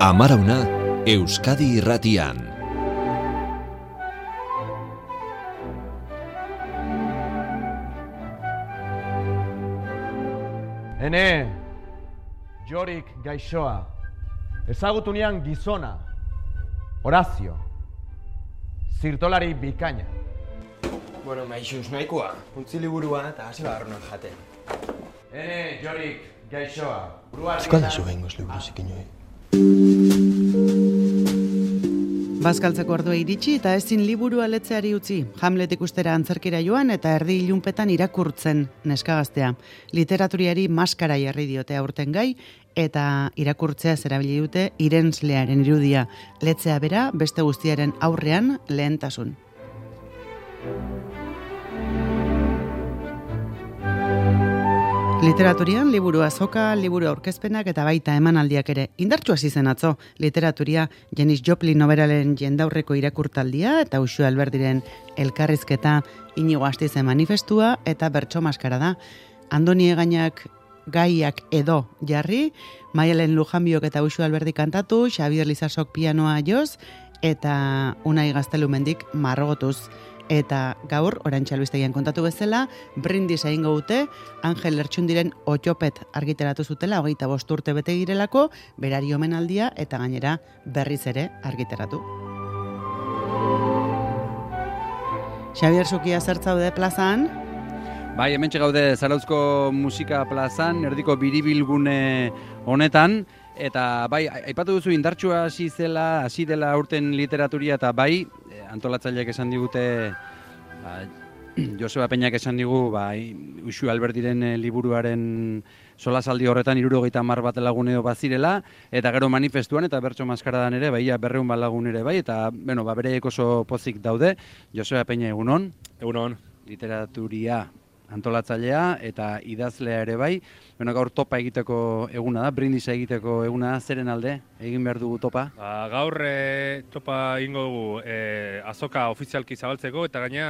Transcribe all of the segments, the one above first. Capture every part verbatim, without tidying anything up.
Amarauna, Euskadi Irratian. Ene, Jorik gaixoa, ezagutu nian gizona, Horazio, zirtolari bikaina. Bueno, maixuz nahikoa, utzi liburua eta hasi barronan jaten. Ene, Jorik gaixoa, buruari... Euskal da zu behingoz liburu zikinoi. Bazkaltzeko ordua iritsi eta ezin liburua letzeari utzi. Hamlet ikustera antzerkira joan eta erdi ilunpetan irakurtzen neskagaztea. Literaturiari maskara jarri diote aurten gai eta irakurtzea zerabili dute irenslearen irudia. Letzea bera beste guztiaren aurrean lehentasun. Literaturian, liburu azoka, liburu aurkezpenak eta baita emanaldiak ere. Indartsu hasi zen atzo, literaturia Janis Joplin noberalen jendaurreko irakurtaldia eta Uxue Alberdiren elkarrizketa, Inigo Astizen manifestua eta bertso maskara da. Andoni Egainak gaiak edo jarri, Maialen Lujanbiok eta Uxue Alberdi kantatu, Xabier Lizasok pianoa joz eta Unai Gaztelumendik marrogotuz. Eta gaur, Orantxe Albistegian kontatu bezala, brindis egingo dute, Angel Lertxundiren Otxopet argitaratu zutela, hogeita bost urte bete girelako, berari omenaldia eta gainera berriz ere argitaratu. Xabier Zukia zertzaude plazan? Bai, hementxe gaude Zarauzko Musika plazan, erdiko biribilgune honetan, eta bai, aipatu duzu indartsua hasi zela, hasi dela urten literaturia eta bai, antolatzaileak esan digute, ba, Joseba Peñak esan digu, ba, Uxue Alberdiren liburuaren solasaldi horretan hirurogeita hamar bat lagun edo bazirela, eta gero manifestuan eta bertso maskaradan ere, bai, berrehun bat lagun ere bai, eta bueno, ba, bereiek oso pozik daude. Joseba Peña, egunon? Egunon. Literaturia antolatzailea eta idazlea ere bai. Bueno, gaur topa egiteko eguna da, brindisa egiteko eguna da, zeren alde egin behar dugu topa? Ba, gaur e, topa egingo dugu e, azoka ofizialki zabaltzeko eta gaina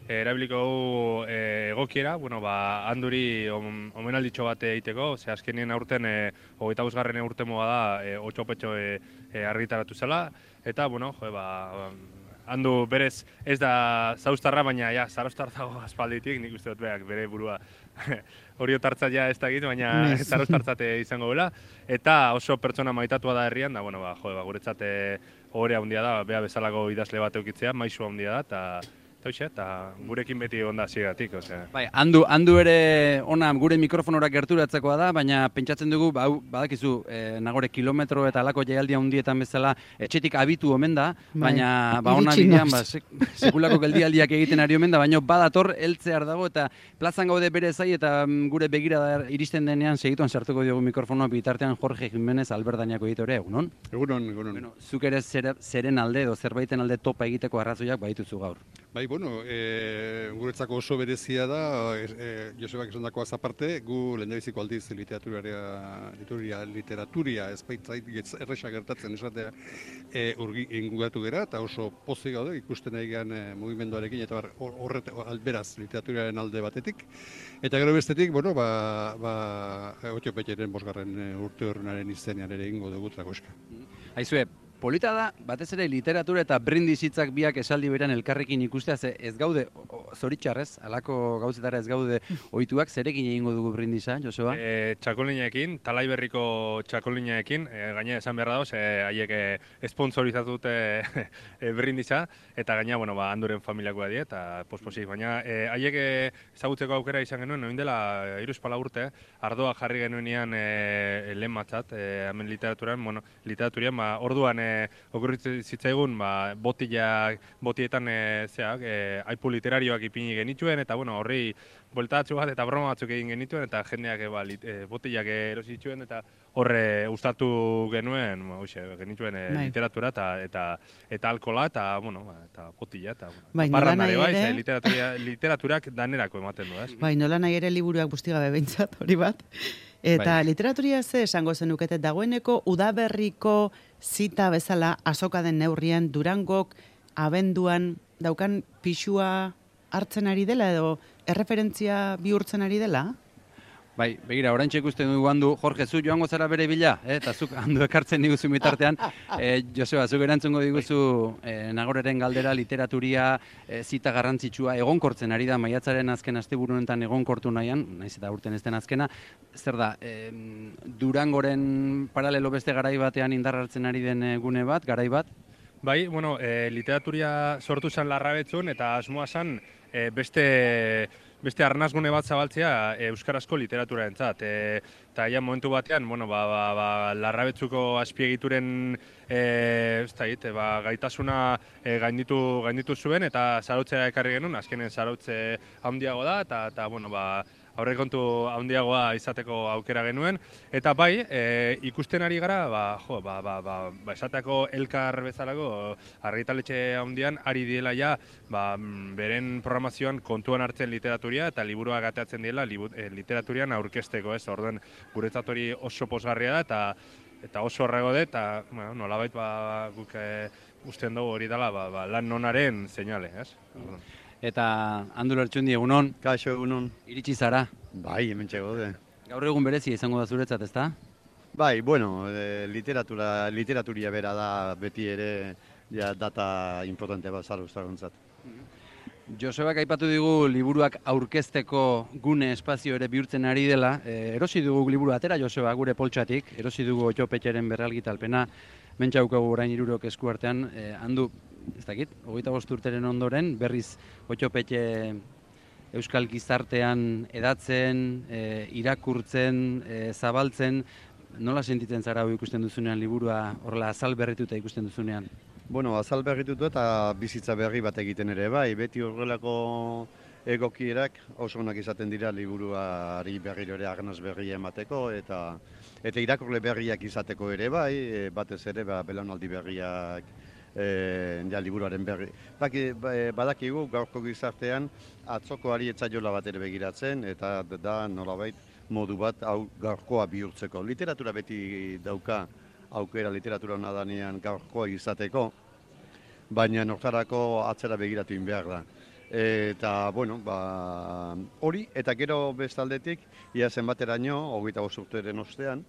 e, erabiliko dugu e, egokiera, bueno, ba, handuri om, omenalditxo bat egiteko, ze azkenien aurten e, hogeita bosgarren urtemoa da e, otxopetxo e, e, argitaratu zela, eta, bueno, jo, ba, handu berez ez da zauztarra, baina ja, zarauztar dago aspalditik, nik uste dut beak bere burua hori otartzat ja ez da egit, baina zarauztartzate izango dela. Eta oso pertsona maitatua da herrian, da, bueno, ba, jo, ba, guretzat ohore handia da, bea bezalako idazle bat eukitzea, maisu handia da, eta eta gurekin beti onda zigatik, osea. Bai, handu, handu ere ona gure mikrofonora gerturatzekoa da, baina pentsatzen dugu, ba, badakizu, e, nagore kilometro eta alako jaialdia hundietan bezala, etxetik abitu omen da, baina ba, ona bidean, ba, sek, sekulako geldialdiak egiten ari omen da, baina badator heltzear dago, eta plazan gaude bere zai, eta gure begirada iristen denean segituan sartuko diogu mikrofonoa bitartean Jorge Jimenez Alberdañako editore, egunon? Egunon, egunon. Bueno, zuk ere zer, zeren alde edo zerbaiten alde topa egiteko arrazoiak baituzu gaur. Bai, bueno, e, guretzako oso berezia da, e, Josebak esan dakoaz aparte, gu lehendabiziko aldiz literaturia, literaturia, literaturia ez baitzait erresa gertatzen esatea e, urgi inguratu gera, eta oso pozik gaude ikusten egian e, mugimenduarekin, eta horret alberaz literaturiaren alde batetik. Eta gero bestetik, bueno, ba, ba, Otxopetxeren bosgarren urte horrenaren izenean ere ingo dugu tragoska. Aizue, polita da, batez ere literatura eta brindis hitzak biak esaldi beran elkarrekin ikustea, ze ez gaude, zoritxarrez, halako gauzetara ez gaude ohituak, zerekin egingo dugu brindisa, Joseba? E, txakolineekin, talai berriko txakolineekin, e, gaine esan beharra dauz, e, haiek e, esponsorizatu dute e, brindisa, eta gaina, bueno, ba, handuren familiakoa die, eta posposik, baina e, haiek e, ezagutzeko aukera izan genuen, noin dela hiruz pala urte, ardoa jarri genuenean e, lehen matzat, e, hemen literaturan, bueno, literaturian, ba, orduan e, okurritzen zitzaigun, ba, botila, botietan e, zeak, e, aipu literarioak ipini genituen, eta bueno, horri bueltatxu bat eta broma batzuk egin genituen, eta jendeak e, ba, lit, e, botilak erosi zituen, eta horre ustatu genuen, ba, uxe, genituen e, literatura eta, eta, eta alkola, eta, bueno, ba, eta botila, eta bai, parrandare bai, ere... literatura, literaturak danerako ematen du, ez? Bai, nola nahi ere liburuak bustigabe behintzat, hori bat. Eta bai. Literaturia ze esango zenukete dagoeneko udaberriko zita bezala azoka den neurrian Durangok abenduan daukan pixua hartzen ari dela edo erreferentzia bihurtzen ari dela? Bai, begira, oraintxe ikusten dugu handu, Jorge, zu joango zara bere bila, eh? Eta zuk handu ekartzen diguzu mitartean. Eh, Joseba, zuk erantzungo diguzu eh, Nagoreren galdera, literaturia, eh, zita garrantzitsua, egonkortzen ari da, maiatzaren azken asteburu honetan egonkortu nahian, naiz eta urten ez den azkena. Zer da, eh, Durangoren paralelo beste garai batean indar hartzen ari den eh, gune bat, garai bat? Bai, bueno, e, literaturia sortu zen Larrabetzun eta asmoa zen e, beste beste arnazgune bat zabaltzea e, euskarazko literaturarentzat. E, eta ja momentu batean, bueno, ba, ba, ba, Larrabetzuko azpiegituren e, ez da, e, ba, gaitasuna e, gainditu, gainditu zuen eta zarautzea ekarri genuen, azkenen zarautze handiago da eta, eta bueno, ba, aurrekontu handiagoa izateko aukera genuen, eta bai, e, ikusten ari gara, ba, jo, ba, ba, ba, ba, esateko elkar bezalako argitaletxe handian ari diela ja, ba, beren programazioan kontuan hartzen literaturia eta liburuak ateatzen diela libu, e, literaturian aurkezteko, ez, orduen guretzat hori oso posgarria da eta eta oso horrego dut, eta bueno, nolabait ba, guk e, usten dugu hori dela ba, ba, lan nonaren seinale, ez? Orduen. Eta Andu Lertxundi, egunon? Kaixo, egunon. Iritsi zara? Bai, hemen txegode. Gaur egun berezia izango da zuretzat, ezta? Bai, bueno, e, literatura, literaturia bera da beti ere ja, data importante bat zarauztarrontzat. Josebak aipatu digu liburuak aurkezteko gune espazio ere bihurtzen ari dela. E, erosi dugu liburu atera, Joseba, gure poltsatik. Erosi dugu Otxopetxeren berralgitalpena. Mentxaukagu orain hirurok esku artean. E, Andu, ez dakit, hogeita bost urteren ondoren, berriz Otxopetxe euskal gizartean edatzen, e, irakurtzen, e, zabaltzen. Nola sentitzen zara hau ikusten duzunean liburua horrela azal berrituta ikusten duzunean? Bueno, azal berritutu eta bizitza berri bat egiten ere bai, beti horrelako egokierak oso onak izaten dira liburuari berriro ere arnaz berria emateko eta eta irakurle berriak izateko ere bai, e, batez ere ba, belaunaldi berriak e, ja, liburuaren berri. Baki, badakigu gaurko gizartean atzokoari etzaiola bat ere begiratzen eta da nolabait modu bat hau gaurkoa bihurtzeko. Literatura beti dauka aukera literatura hona danean gaurkoa izateko, baina nortarako atzera begiratu in behar da. Eta, bueno, ba, hori, eta gero bestaldetik, ia zenbateraino, hogeita bost urteren ostean,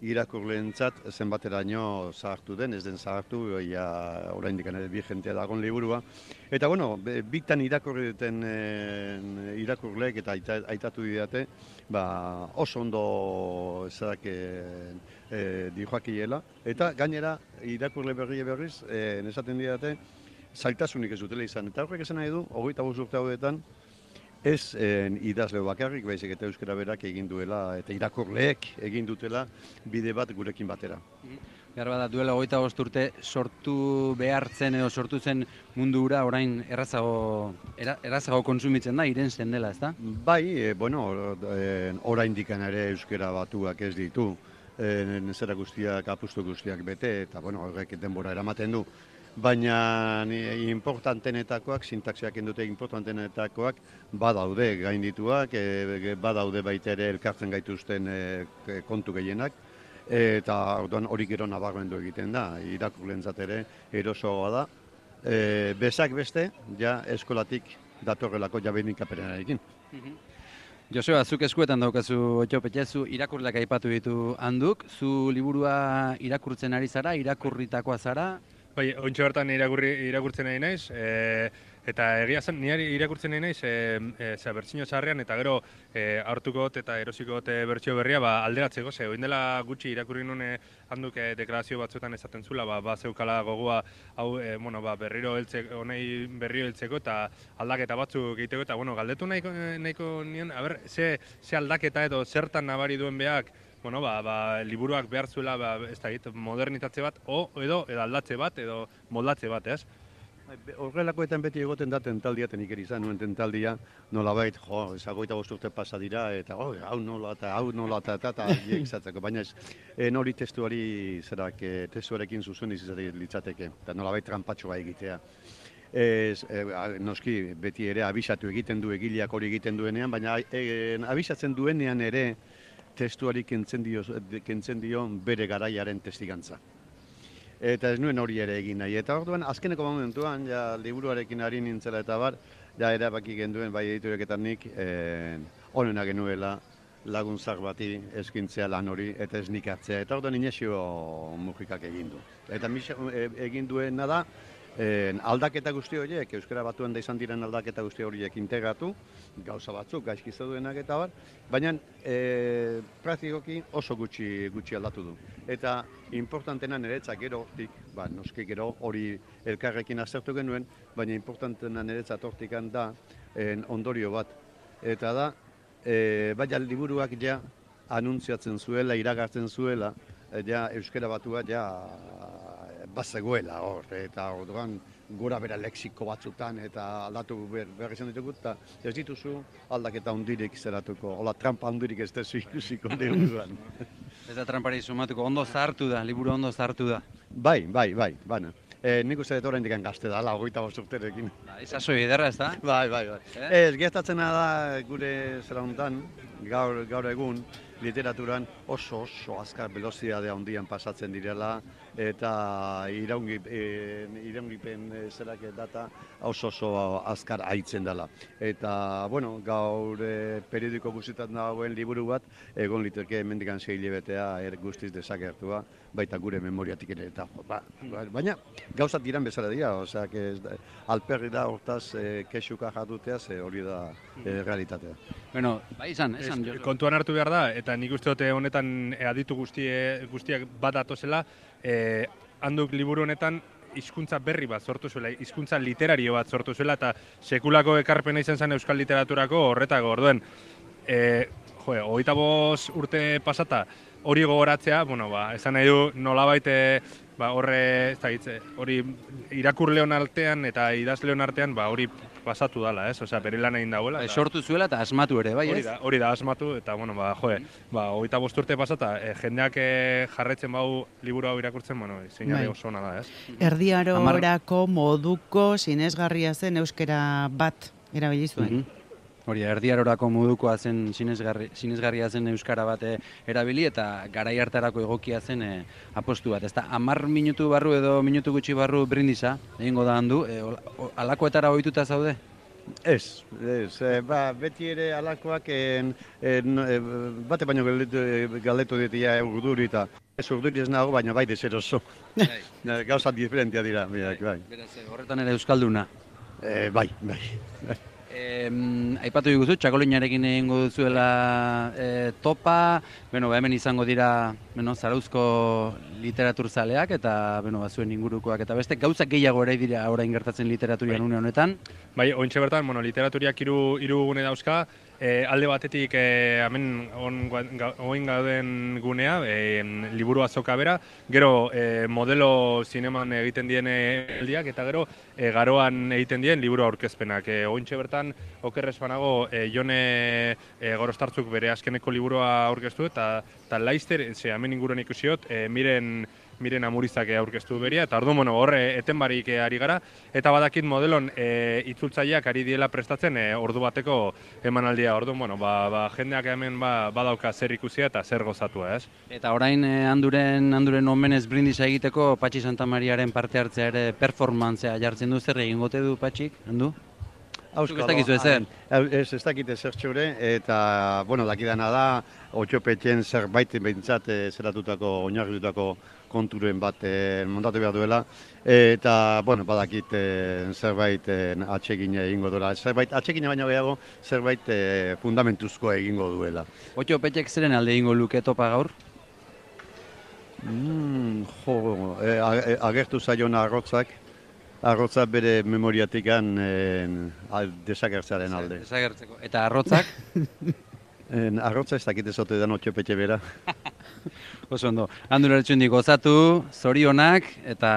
irakurleentzat zenbateraino zahartu den, ez den zahartu, ia oraindik ere bigentea dagoen liburua. Eta, bueno, bitan irakurri duten e, irakurleek eta aita, aitatu didate, ba, oso ondo ezak e, e, dijoakiela. Eta gainera, irakurle berri berriz, e, esaten didate, zailtasunik ez dutela izan. Eta horrek esan nahi du, hogeita bost urte hauetan, ez eh, idazle bakarrik, baizik eta euskara berak egin duela, eta irakurleek egin dutela bide bat gurekin batera. Behar bada, duela hogeita bost urte sortu behartzen edo sortu zen mundu hura orain errazago, era, errazago konsumitzen da, irensten dela, ezta? Bai, e, bueno, e, oraindik ere euskara batuak ez ditu, e, zera guztiak, apustu guztiak bete, eta bueno, horrek denbora eramaten du. Baina importantenetakoak, sintaxiak indute importantenetakoak badaude gaindituak, e, badaude baita ere elkartzen gaituzten e, kontu gehienak, eta orduan hori gero nabarmendu egiten da, irakurleentzat ere erosoa da. E, bezak beste, ja eskolatik datorrelako jabenik-aperenarekin. Joseba, zuk eskuetan daukazu Otxopetxe, zu irakurleak aipatu ditu Handuk, zu liburua irakurtzen ari zara, irakurritakoa zara? Bai, ointxe bertan irakurri, irakurtzen nahi naiz, e, eta egia zen, nire irakurtzen nahi naiz, e, e, zera, bertsio zaharrean, eta gero e, hartuko got eta erosiko got bertsio berria, ba, alderatzeko, ze, oin dela gutxi irakurri nuen Handuk e, deklarazio batzuetan esaten zula, ba, ba zeukala gogoa, hau, e, bueno, ba, berriro heltzeko, honei berriro heltzeko, eta aldaketa batzuk egiteko, eta, bueno, galdetu nahiko, nahiko nien, a ber, ze, ze aldaketa edo zertan nabari duen behak, bueno, ba, ba, liburuak behar zuela, ba, ez da, modernitatze bat, o, edo, edo aldatze bat, edo moldatze bat, ez? Horrelakoetan beti egoten da tentaldia, tenik izan nuen tentaldia, nolabait, jo, ezagoita bost urte pasa dira, eta oh, hau nola, eta hau nola, eta eta eta izatzeko, baina ez, en hori testuari, zerak, testuarekin zuzen izatea litzateke, eta nolabait trampatxoa egitea. Ez, e, noski, beti ere abisatu egiten du egileak hori egiten duenean, baina e, abisatzen duenean ere, testuari kentzen dio, kentzen dio bere garaiaren testigantza. Eta ez nuen hori ere egin nahi. Eta orduan, azkeneko momentuan, ja, liburuarekin ari nintzela eta bar, ja, erabaki genduen, bai editoreketan nik, eh, onena genuela, laguntzak bati eskintzea lan hori eta ez nik hartzea. Eta orduan Inesio Mujikak egin du. Eta egin duena da, Eh, aldaketa guzti horiek, Euskara Batuan da izan diren aldaketa guzti horiek integratu, gauza batzuk, gaizki zeudenak eta bar, baina eh, praktikoki oso gutxi gutxi aldatu du. Eta importantena niretzat gerotik, ba, noski gero hori elkarrekin aztertu genuen, baina importantena niretzat hortikan da eh, ondorio bat. Eta da, eh, baina liburuak ja anuntziatzen zuela, iragartzen zuela, eh, ja Euskara Batua ja bazegoela hor, eta orduan gora bera lexiko batzutan eta aldatu behar izan ditugu, eta ez dituzu aldaketa hundirik zeratuko, hola trampa hundirik ez dezu ikusiko liburuan. Ez da trampari sumatuko, ondo zahartu da, liburu ondo zahartu da. Bai, bai, bai, baina. E, nik uste dut oraindik gazte dala, hogeita bost urterekin. Ba, izazoi ederra ez da? Bai, bai, bai. Eh? Ez, gertatzena da gure zera hontan, gaur, gaur egun, literaturan oso oso azkar velozitate handian pasatzen direla eta iraungi, e, iraungipen e, zerak data oso oso azkar haitzen dela. Eta, bueno, gaur e, periodiko guztietan dagoen liburu bat, egon liteke hemendikan sei hilabetea er guztiz desagertua, baita gure memoriatik ere eta ba, baina gauzat diran bezala dira, osea que alperri da hortaz e, kexuka jarduteaz e, hori da e, realitatea. Bueno, bai izan, esan es, kontuan hartu behar da, eta nik uste dute honetan e, aditu guztie, guztiak bat datozela, e, handuk liburu honetan hizkuntza berri bat sortu zuela, hizkuntza literario bat sortu zuela, eta sekulako ekarpena izan zen euskal literaturako horretako, orduen, e, jo, hogeita bost urte pasata, hori gogoratzea, bueno, ba, esan nahi du nolabait ba, horre, ez da hitze, hori irakurleon artean eta idazleon artean, ba, hori pasatu dala, ez? Osea, bere lan egin dagoela. Ba, sortu zuela eta asmatu ere, bai, ez? Hori da, hori da asmatu, eta, bueno, ba, joe, ba, hogeita bost urte pasata, e, jendeak e, jarraitzen bau liburu hau irakurtzen, bueno, seinale oso ona da, ez? Erdiarorako moduko sinesgarria zen euskera bat erabili zuen. Mm-hmm. Hori, erdiarorako modukoa zen sinesgarri, sinesgarria zen euskara bat erabili eta garai hartarako egokia zen e, apostu bat. Ezta hamar minutu barru edo minutu gutxi barru brindisa egingo da handu, e, alakoetara ohituta zaude? Ez, ez, e, ba, beti ere alakoak en, en, e, bate baino galdetu, galdetu ditia urduri eta ez urduri ez nago, baina bai deseroso. Bai. Gauza diferentia dira, bai, bai. Beraz, horretan ere euskalduna. E, bai, bai. Eh, aipatu diguzu, txakolinarekin egingo duzuela eh, topa, bueno, ba, hemen izango dira bueno, zarauzko literaturzaleak eta bueno, ba, zuen ingurukoak eta beste gauzak gehiago ere dira orain gertatzen literaturian une honetan. Bai, ointxe bertan, bueno, literaturiak hiru hiru gune dauzka, e, alde batetik e, hemen oin gauden gunea, e, liburu azoka bera, gero e, modelo zineman egiten dien eldiak eta gero e, garoan egiten dien liburu aurkezpenak. E, ointxe bertan, okerrez banago, e, Jone e, Gorostartzuk bere azkeneko liburua aurkeztu eta, eta Laizter, ze hemen inguruan ikusiot, e, miren miren amurizak aurkeztu beria, eta orduan, bueno, horre eten barik ari gara, eta badakit modelon e, itzultzaileak ari diela prestatzen e, ordu bateko emanaldia, orduan, bueno, ba, ba, jendeak hemen ba, badauka zer ikusia eta zer gozatua, ez? Eta orain e, handuren, handuren omenez brindisa egiteko Patxi Santamariaren parte hartzea ere performantzea jartzen du, zer egingote du Patxik, handu? Auskalo, ez dakizu ezer? Ez, ez dakit ezer txure, eta, bueno, dakidana da, otxopetxen zerbait behintzat e, zeratutako, oinarritutako konturen bat e, montatu behar duela, eta, bueno, badakit e, zerbait e, atsegine egingo duela. Zerbait atsegine baino gehiago, zerbait e, fundamentuzko egingo duela. Otxopetxek zeren alde egingo luke topa gaur? Mm, jo, e, agertu zaion arrotzak, arrotza bere memoriatikan e, desagertzaren alde. Desagertzeko. Eta arrotzak? En, arrotza ez dakit ezote da otxopetxe bera. Oso ondo. Handura etxundik gozatu, zorionak eta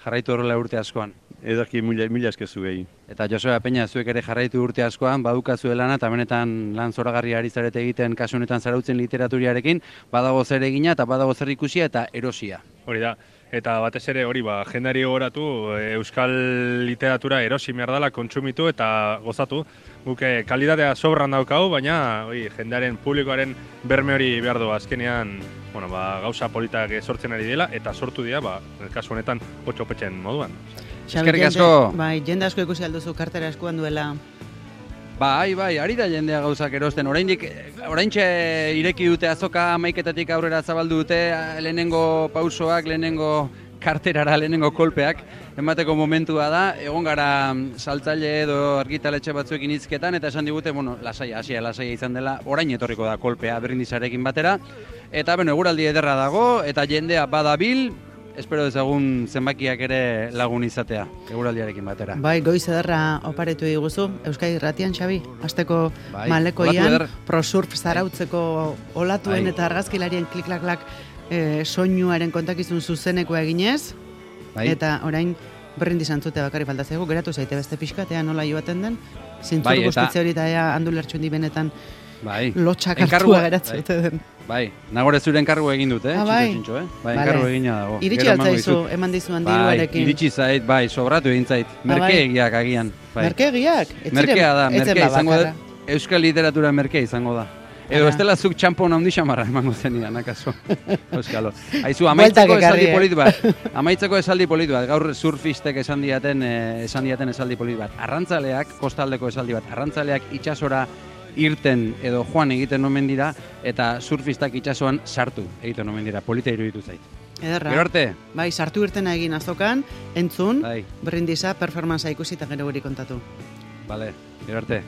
jarraitu horrela urte askoan. Edarki mila, mila eskezu gehi. Eta Joseba Peña, zuek ere jarraitu urte askoan, badukazu lana eta benetan lan zoragarri ari zarete egiten kasu honetan zarautzen literaturiarekin, badago zer egina eta badago zer ikusia eta erosia. Hori da. Eta batez ere hori ba, jendari goratu, euskal literatura erosi behar dela, kontsumitu eta gozatu. Guke kalitatea sobran daukau, baina oi, jendearen publikoaren berme hori behar du azkenean bueno, ba, gauza politak sortzen ari dela eta sortu dira, ba, kasu honetan otxopetxen moduan. Eskerrik asko! Bai, jende asko ikusi alduzu kartera eskuan duela. Bai, bai, ari da jendea gauzak erosten. Oraindik, oraintxe ireki dute azoka hamaiketatik aurrera zabaldu dute, lehenengo pausoak, lehenengo karterara, lehenengo kolpeak, emateko momentua da. Egon gara saltzaile edo argitaletxe batzuekin hizketan, eta esan digute, bueno, lasaia, hasia lasaia izan dela, orain etorriko da kolpea Brindisarekin batera. Eta, bueno, eguraldi ederra dago, eta jendea badabil, espero dezagun zenbakiak ere lagun izatea, eguraldiarekin batera. Bai, goiz ederra oparetu diguzu, Euskadi Irratian, Xabi, asteko bai, malekoian, prosurf zarautzeko olatuen bai. eta argazkilarien klik-klak-klak e, soinuaren kontakizun zuzenekoa eginez, bai. eta orain Brindis antzute bakarri falta zaigu, geratu zaite beste pixkatea nola joaten den, zintzur bai, guztitze hori eta ea handulertxun di benetan bai. lotxak Enkargua, hartua geratzute bai. den. Bai, nagore zure enkargu egin dut, eh? Ah, bai. Txintxo, txintxo, eh? Bai, Vale. enkargu egina dago. Iritsi Gero emango altzaizu, dizut. eman dizuan Bai, diruarekin. iritsi zait, bai, sobratu egin zait. Merkeegiak agian. Bai. Merkeegiak? Ez ziren- Merkea da, ez zen merkea izango da. bakarra. Euskal literatura merkea izango da. Edo Ara. estela zuk txampon handi xamarra emango zenidan, akaso. Euskalo. Aizu, amaitzeko Bueltak ekarri, esaldi eh? polit bat. Amaitzeko esaldi polit bat. Gaur surfistek esan diaten, eh, esan diaten esaldi polit bat. Arrantzaleak, kostaldeko esaldi bat, arrantzaleak itsasora irten edo joan egiten omen dira, eta surfistak itsasoan sartu egiten omen dira. Polita iruditu zait. Ederra. Gero arte. Bai, sartu irtena egin azokan, entzun, Bai. Brindisa performanza ikusi eta gero guri kontatu. Vale, gero arte.